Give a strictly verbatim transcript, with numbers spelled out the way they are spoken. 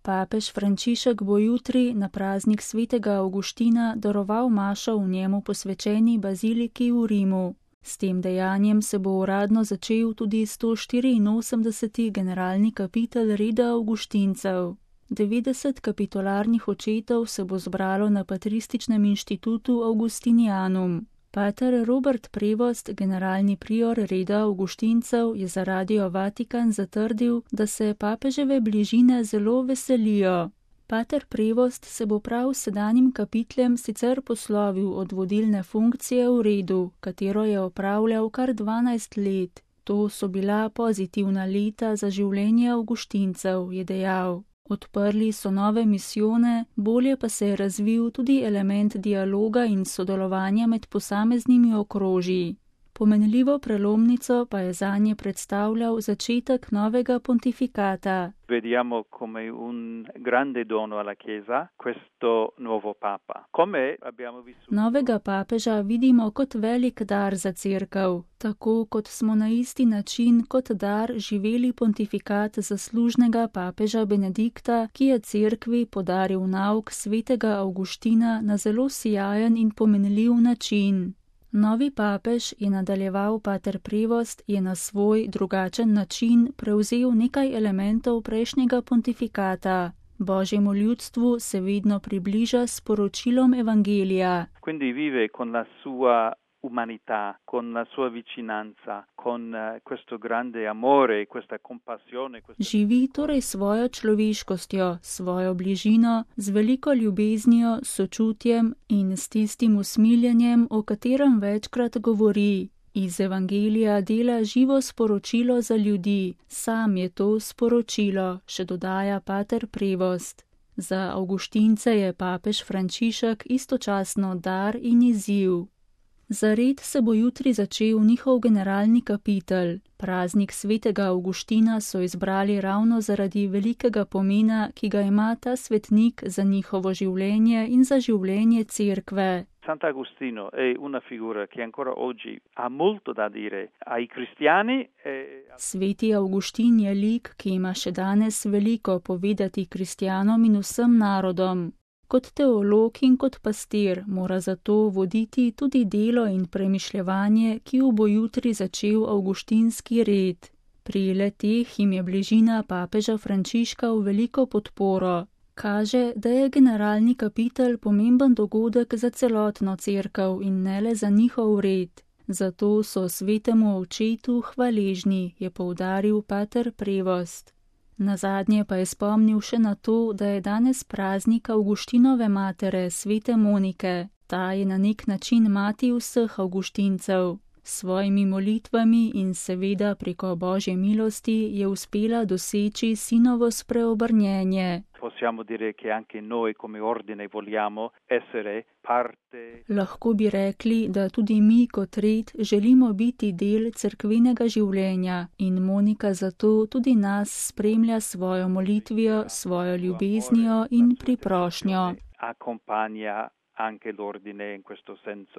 Papež Frančišek bo jutri na praznik svetega Avguština daroval mašo v njemu posvečeni baziliki v Rimu. S tem dejanjem se bo uradno začel tudi sto štiriinosemdeseti generalni kapitel reda Avguštincev. devetdeset kapitularnih očetov se bo zbralo na Patrističnem inštitutu Augustinianum. Pater Robert Prevost, generalni prior reda Avguštincev, je za Radio Vatikan zatrdil, da se papeževe bližine zelo veselijo. Pater Prevost se bo prav s sedanjim kapitlem sicer poslovil od vodilne funkcije v redu, katero je opravljal kar dvanajst let. To so bila pozitivna leta za življenje Avguštincev, je dejal. Odprli so nove misijone, bolje pa se je razvil tudi element dialoga in sodelovanja med posameznimi okrožji. Pomenljivo prelomnico pa je zanje predstavljal začetek novega pontifikata. Vediamo come un grande dono alla Chiesa questo nuovo papa. Come abbiamo vissuto... Novega papeža vidimo kot velik dar za cerkev, tako kot smo na isti način kot dar živeli pontifikat zaslužnega papeža Benedikta, ki je cerkvi podaril nauk svetega Avguština na zelo sijajen in pomenljiv način. Novi papež, je nadaljeval pater Prevost, je na svoj drugačen način prevzel nekaj elementov prejšnjega pontifikata. Božjemu ljudstvu se vedno približa s sporočilom evangelija. Quindi vive con la sua umanità, con la sua vicinanza, con questo grande amore, questa compassione. Questa... Živi torej svojo človeškostjo, svojo bližino, z veliko ljubeznijo, sočutjem in s tistim usmiljenjem, o katerem večkrat govori. Iz evangelija dela živo sporočilo za ljudi, sam je to sporočilo, še dodaja pater Prevost. Za Avguštince je papež Frančišek istočasno dar in izziv. Za red se bo jutri začel njihov generalni kapitel. Praznik svetega Avguština so izbrali ravno zaradi velikega pomena, ki ga ima ta svetnik za njihovo življenje in za življenje cerkve. Sant'Agostino è una figura che ancora oggi ha molto da dire ai cristiani. E... Sveti Avguštin je lik, ki ima še danes veliko povedati kristjanom in vsem narodom. Kot teolog in kot pastir mora zato voditi tudi delo in premišljevanje, ki jo bo jutri začel avguštinski red. Pri le-teh jim je bližina papeža Frančiška v veliko podporo. Kaže, da je generalni kapitel pomemben dogodek za celotno cerkev in ne le za njihov red. Zato so svetemu očetu hvaležni, je poudaril pater Prevost. Nazadnje pa je spomnil še na to, da je danes praznik Avguštinove matere, svete Monike. Ta je na nek način mati vseh Avguštincev. S svojimi molitvami in seveda preko Božje milosti je uspela doseči sinovo spreobrnjenje. Possiamo dire che anche noi come ordine vogliamo essere parte. Lahko bi rekli, da tudi mi kot red želimo biti del cerkvenega življenja in Monika zato tudi nas spremlja svojo molitvijo, svojo ljubeznijo in priprošnjo. Accompagna anche l'ordine in questo senso.